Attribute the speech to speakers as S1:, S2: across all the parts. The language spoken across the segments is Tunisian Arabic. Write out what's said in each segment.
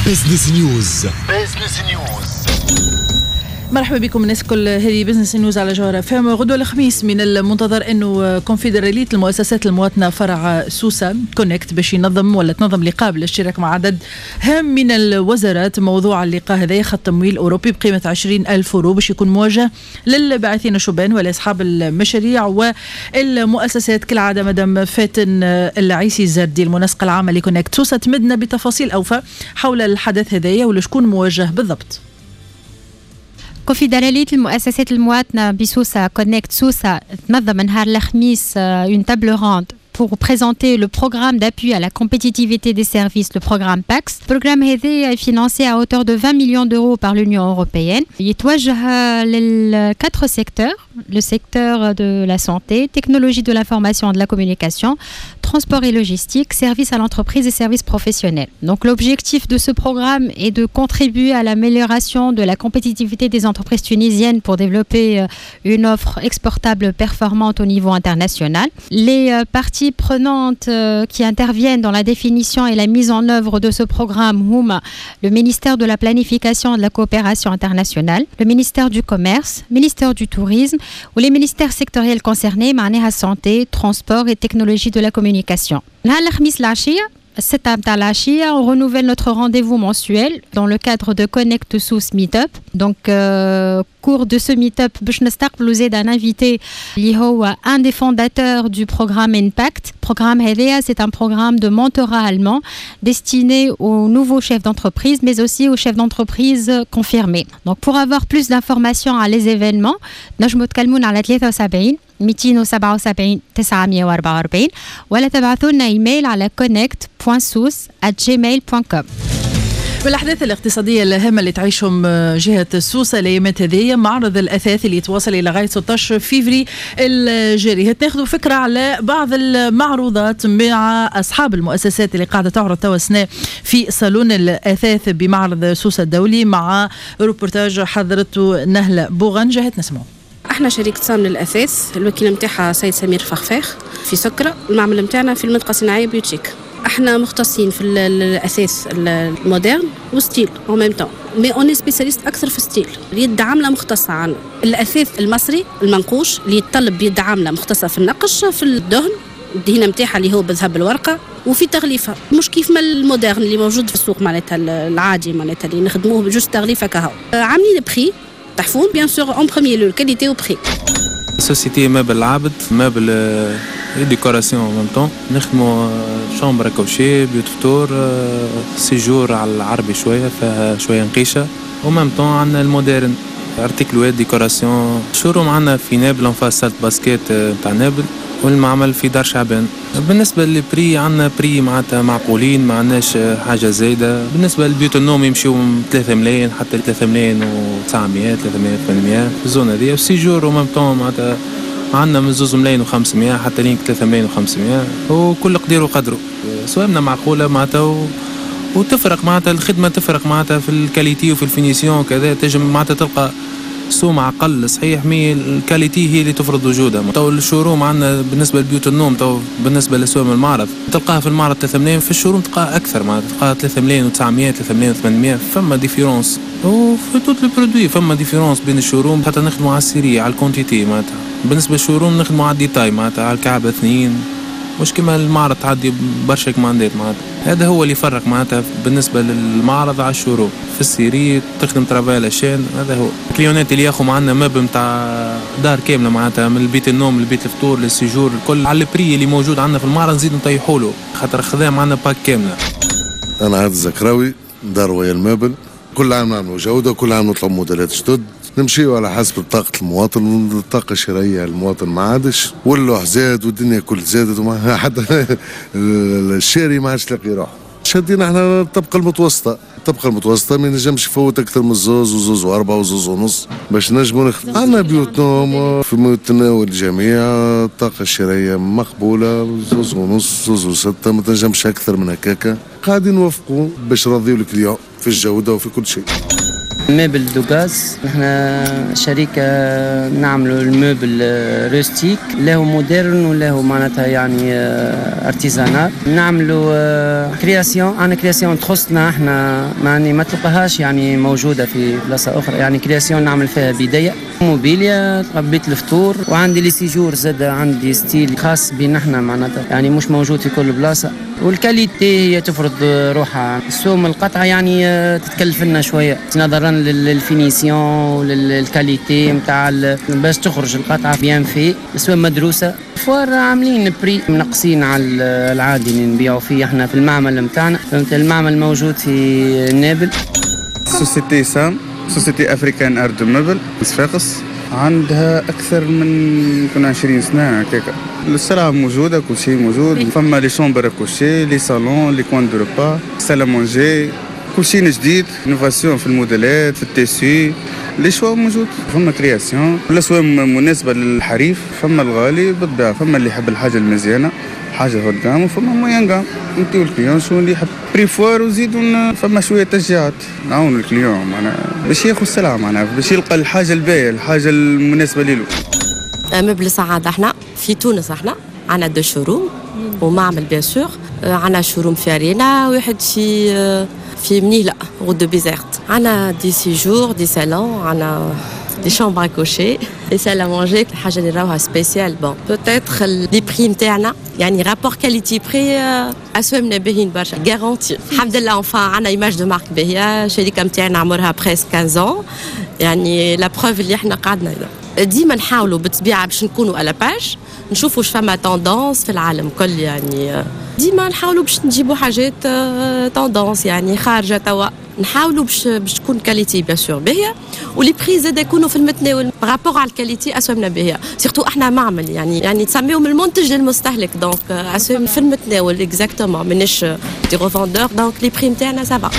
S1: Business News. Business News.
S2: مرحبا بكم الناس الكل، هذه Business News على جوهرة اف ام. غدوة الخميس من المنتظر انه كونفدرالية المؤسسات المواطنة فرع سوسة كونكت باش ينظم ولا تنظم لقاء بالاشتراك مع عدد هام من الوزارات. موضوع اللقاء هذا خط تمويل أوروبي بقيمة 20 ألف أورو باش يكون موجه للباعثين الشبان ولأصحاب المشاريع والمؤسسات. كالعادة مدام فاتن العيسي الزردي المنسقة العامة لكونكت سوسة تمدنا بتفاصيل أوفى حول الحدث هذايا ولشكون موجه بالضبط.
S3: كونفدرالية المؤسسات المواطنة بسوسة كونكت سوسة تنظم نهار الخميس une table ronde pour présenter le programme d'appui à la compétitivité des services, le programme PACS. Le programme هذا est financé à hauteur de 20 millions d'euros par l'Union européenne. يتوجه لل quatre secteurs: le secteur de la santé, technologie de l'information et de la communication, transport et logistique, services à l'entreprise et services professionnels. Donc l'objectif de ce programme est de contribuer à l'amélioration de la compétitivité des entreprises tunisiennes pour développer une offre exportable performante au niveau international. Les parties prenantes qui interviennent dans la définition et la mise en œuvre de ce programme هما le ministère de la Planification et de la Coopération internationale, le ministère du Commerce, le ministère du Tourisme و les ministères sectoriels concernés, معناها santé, transport et technologie de la communication. نهار الخميس العشية 6 متاع العشية, on renouvelle notre rendez-vous mensuel dans le cadre de Connect Sousse Meetup. Donc, cours de ce meetup, باش نستقبلوا زاد un invité اللي هو un des fondateurs du programme Impact. Programme هذايا, c'est un programme de mentorat allemand destiné aux nouveaux chefs d'entreprise, mais aussi aux chefs d'entreprise confirmés. Donc, pour avoir plus d'informations على les événements, نجموا تكلمونا على 73 277 944 ولا تبعثوا لنا ايميل على connect.sousse@gmail.com.
S2: بالأحداث الاقتصادية الهامة اللي تعيشهم جهة سوسة الأيامات هذه، معرض الأثاث اللي يتواصل إلى غاية 16 فيفري الجاري. ناخذ فكرة على بعض المعروضات مع أصحاب المؤسسات اللي قاعدة تعرض توا سنة في صالون الأثاث بمعرض سوسة الدولي، مع روبورتاج حضرته نهلة بوغنجة. نسمعوا.
S4: احنا شركة سام للاثاث، الوكيل نتاعها سيد سمير فخفاخ في سكرة، المعمل نتاعنا في المنطقة الصناعية بيوتشيك. احنا مختصين في الاثاث ال moderne و style en même temps, mais on est spécialiste اكثر في style. اليد عامله مختصة عنا، الاثاث المصري المنقوش اللي يتطلب يد عامله مختصة في النقش، في الدهن، الدهينه نتاعها اللي هو بذهب الورقه، وفي تغليفه، مش كيف ما ال moderne اللي موجود في السوق، معناتها العادي، معناتها اللي نخدموه juste تغليفه كهو. عاملين prix تحفون bien sûr, en premier lieu qualité و prix.
S5: Société Meuble العابد، meuble décoration en même temps. نخدموا chambre à coucher، بيوت فطور، séjour على العربي شويه، فيها شوية نقيشه، و même temps عندنا ال moderne، articles décoration. showroom عندنا في نابل en face salle basket نتاع نابل، والمعمل في دار شعبان. بالنسبة لل prix، عندنا prix معناتها معقولين، ما عندناش حاجة زايده. بالنسبة لبيوت النوم يمشيو من 3 ملايين حتى 3 ملايين و900، 3 ملايين 800 في ال zone هذه. وال séjour و même temps معناتها عندنا من 2 ملايين و500 حتى لين 3 ملايين و500، وكل قدير وقدره. سوامنا معقولة معناتها وتفرق معناتها الخدمه، تفرق معناتها في ال qualité وفي ال finition كذا. تنجم معناتها تلقى سوم اقل صحيح، mais ال qualité هي اللي تفرض وجودها. تو ال showroom عندنا بالنسبة لبيوت النوم، تو بالنسبة لسوم المعرض تلقاها في المعرض 3 ملايين، في ال showroom تلقاها اكثر، معناتها تلقاها 3 ملايين و900، 3 ملايين و800. فما différence، وفي tous les produits فما différence بين ال showroom، حتى نخدموا على ال série، على ال quantité. معناتها بالنسبة لل showroom نخدموا على ال détail، معناتها على الكعبة اثنين، مش كما المعرض تعدي برشا كماندات. معناتها هذا هو اللي يفرق معناتها بالنسبة للمعرض على ال showroom، في ال série تخدم travail à la chaîne. هذا هو ال client اللي ياخذ معنا meuble نتاع دار كامله، معناتها من البيت النوم لبيت الفطور لل séjour الكل، على ال prix اللي موجود عندنا في المعرض نزيد نطيحوا له، خاطر خذا معنا pack كامله.
S6: انا عادل الزكراوي، دار ويا meuble. كل عام نعملوا جوده، كل عام نطلعوا موديلات جدد، نمشيو على حسب طاقة المواطن. الطاقة الشرائية المواطن ما عادش، واللوح زاد والدنيا كل زادت، وما حتى الشاري ما عادش لاقي روحه. شدينا احنا الطبقة المتوسطة، الطبقة المتوسطة ما ينجمش يفوت أكثر من زوز وزوز وأربعة وزوز ونص باش نجموا نخدم. عندنا بيوت نوم في متناول الجميع، الطاقة الشرائية مقبولة، 2.5، 2.6، ما تنجمش أكثر من هكاكا. قاعدين نوفقوا باش نرضيو ال client في الجودة وفي كل شيء.
S7: Meuble دوغاز، نحن شركة نعملوا ال meuble rustique، له moderne وله معناتها يعني artisanal. نعملوا création، عندنا création تخصنا احنا، يعني ما تلقاهاش يعني موجودة في بلاصة أخرى، يعني création نعمل فيها بداية موبيليا، بيت الفطور، وعندي les séjours زاد، عندي style خاص بينا احنا معناتها يعني مش موجود في كل بلاصة، وال qualité هي تفرض روحها. السوم القطعة يعني تتكلف لنا شوية نظرا لل finition ولل qualité نتاع باش تخرج القطعة bien faite، السوم مدروسة. foire عاملين prix منقصين على العادي اللي نبيعوا فيه احنا في المعمل نتاعنا، فهمت؟ المعمل موجود في نابل.
S8: société SAM، Société Africaine Art de Meuble، صفاقس، عندها أكثر من كنا 20 سنة هكاكا. السلعة موجودة، كل شيء موجود، فما les chambres à coucher، les salons، les coins de repas، salle à manger، كل شيء جديد، innovation في الموديلات، في ال tissu، les choix موجود، فما création، الاسوام مناسبة للحريف، فما الغالي بالطبيعة، فما اللي يحب الحاجة المزيانة، حاجة haut de gamme، وفما moyenne gamme، انت وال client شو اللي يحب. prix foire وزيدوا فما شوية تشجيعات نعاونوا ال client معناها باش ياخذ السلعة، معناها باش يلقى الحاجة الباهية، الحاجة المناسبة له.
S9: Meuble سعادة، احنا في تونس احنا عندنا deux showrooms ومعمل bien sûr. عندنا showroom في ارينا، واحد في منيهلة route de Bizerte. عندنا des séjours، des salons، عندنا des chambres à coucher، des salles à manger. الحاجة اللي راوها spéciale، bon peut-être les prix نتاعنا، يعني rapport qualité prix، اسوامنا باهيين برشا، garantie الحمد لله. enfin عندنا image de marque باهيه. الشركة نتاعنا عمرها presque 15، يعني la preuve اللي احنا قعدنا. ديما نحاولوا بالطبيعة باش نكونوا à la page، نشوفوا واش فما tendance في العالم كل، يعني ديما نحاولوا باش نجيبوا حاجات tendance، يعني خارجه توا. نحاولوا باش تكون qualité bien sûr باهيه، و les prix زاد يكونوا في المتناول par rapport على ال qualité. اسوامنا باهيه، surtout احنا معمل، يعني تسميهم المنتج للمستهلك، donc اسوام في المتناول exactement، مانيش des revendeurs، donc les prix نتاعنا ça va.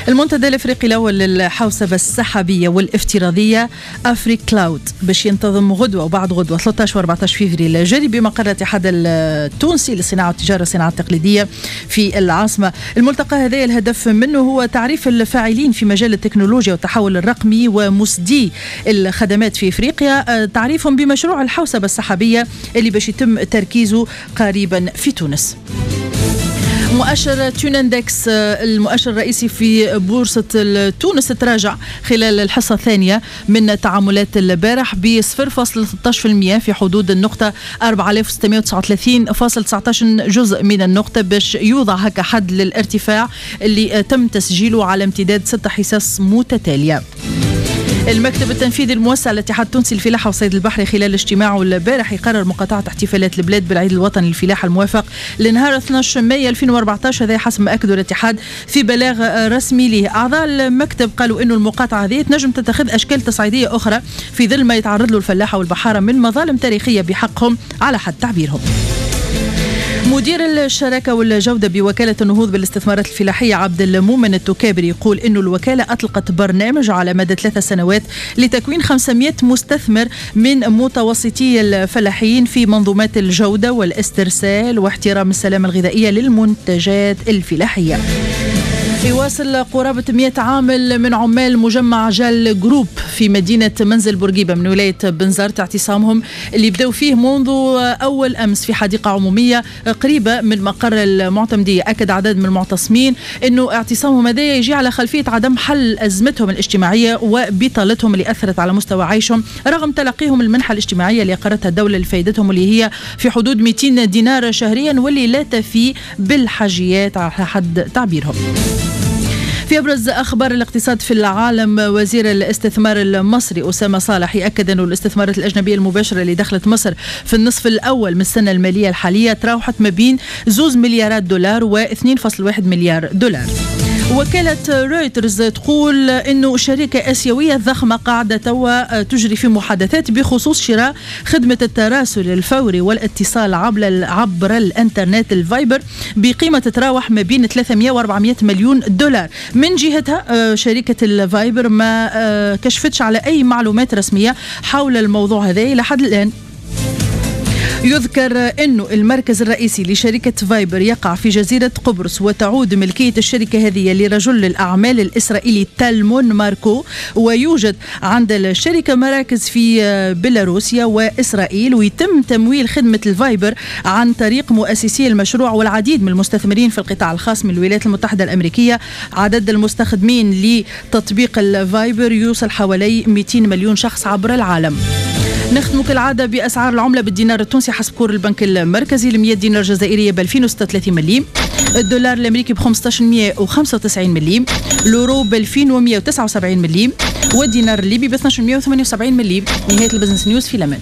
S2: المنتدى الافريقي الاول للحوسبه السحابيه والافتراضيه AfriCloud باش ينتظم غدوه وبعد غدوه 13 و 14 فيفري الجاري بمقر الاتحاد التونسي للصناعة والتجارة والصناعة التقليدية في العاصمة. الملتقى هذا الهدف منه هو تعريف الفاعلين في مجال التكنولوجيا والتحول الرقمي ومسدي الخدمات في افريقيا، تعريفهم بمشروع الحوسبه السحابيه اللي باش يتم تركيزه قريبا في تونس. مؤشر Tunindex، المؤشر الرئيسي في بورصة تونس، تراجع خلال الحصة الثانية من تعاملات البارح ب 0.13% في حدود النقطة 4639.19 جزء من النقطة، باش يوضع هكا حد للارتفاع اللي تم تسجيله على امتداد 6 حصص متتالية. المكتب التنفيذي الموسع للاتحاد التونسي للفلاحة والصيد البحري خلال اجتماعه البارح يقرر مقاطعة احتفالات البلاد بالعيد الوطني للفلاحة الموافق لنهار 12 ماي 2014، هذا حسب ما أكدوا الاتحاد في بلاغ رسمي له. أعضاء المكتب قالوا أنه المقاطعة هذه تنجم تتخذ أشكال تصعيدية أخرى في ظل ما يتعرض له الفلاحة والبحارة من مظالم تاريخية بحقهم على حد تعبيرهم. مدير الشراكة والجودة بوكالة النهوض بالاستثمارات الفلاحية عبد المؤمن التكابري يقول إنه الوكالة أطلقت برنامج على مدى 3 سنوات لتكوين 500 مستثمر من متوسطي الفلاحين في منظومات الجودة والاسترسال واحترام السلامة الغذائية للمنتجات الفلاحية. يواصل قرابة 100 عامل من عمال مجمع جال جروب في مدينة منزل بورقيبة من ولاية بنزرت اعتصامهم اللي بدأوا فيه منذ أول أمس في حديقة عمومية قريبة من مقر المعتمدية. أكد عدد من المعتصمين أنه اعتصامهم هذا يجي على خلفية عدم حل أزمتهم الاجتماعية وبطالتهم اللي أثرت على مستوى عيشهم رغم تلقيهم المنحة الاجتماعية اللي أقرتها الدولة لفائدتهم واللي هي في حدود 200 دينار شهريا واللي لا تفي بالحاجيات على حد تعبيرهم. في أبرز أخبار الاقتصاد في العالم، وزير الاستثمار المصري أسامة صالح يأكد أن الاستثمارات الأجنبية المباشرة اللي دخلت مصر في النصف الأول من السنة المالية الحالية تراوحت ما بين 2 مليارات دولار و 2.1 مليار دولار. وكالة رويترز تقول أنه شركة آسيوية ضخمة قاعدة توا تجري في محادثات بخصوص شراء خدمة التراسل الفوري والاتصال عبر الانترنت الفايبر بقيمة تتراوح ما بين 300 و 400 مليون دولار. من جهتها شركة الفايبر ما كشفتش على أي معلومات رسمية حول الموضوع هذا إلى حد الآن. يذكر أنه المركز الرئيسي لشركة فايبر يقع في جزيرة قبرص، وتعود ملكية الشركة هذه لرجل الأعمال الإسرائيلي تالمون ماركو، ويوجد عند الشركة مراكز في بيلاروسيا وإسرائيل. ويتم تمويل خدمة الفايبر عن طريق مؤسسي المشروع والعديد من المستثمرين في القطاع الخاص من الولايات المتحدة الأمريكية. عدد المستخدمين لتطبيق الفايبر يوصل حوالي 200 مليون شخص عبر العالم. نختم كالعادة بأسعار العملة بالدينار التونسي حسب cours البنك المركزي. ل 100 دينار جزائرية ب 2036 مليم، الدولار الأمريكي ب 1595 مليم، الأورو ب 2179 مليم، والدينار الليبي ب 1278 مليم. نهاية ال Business News، في الأمان.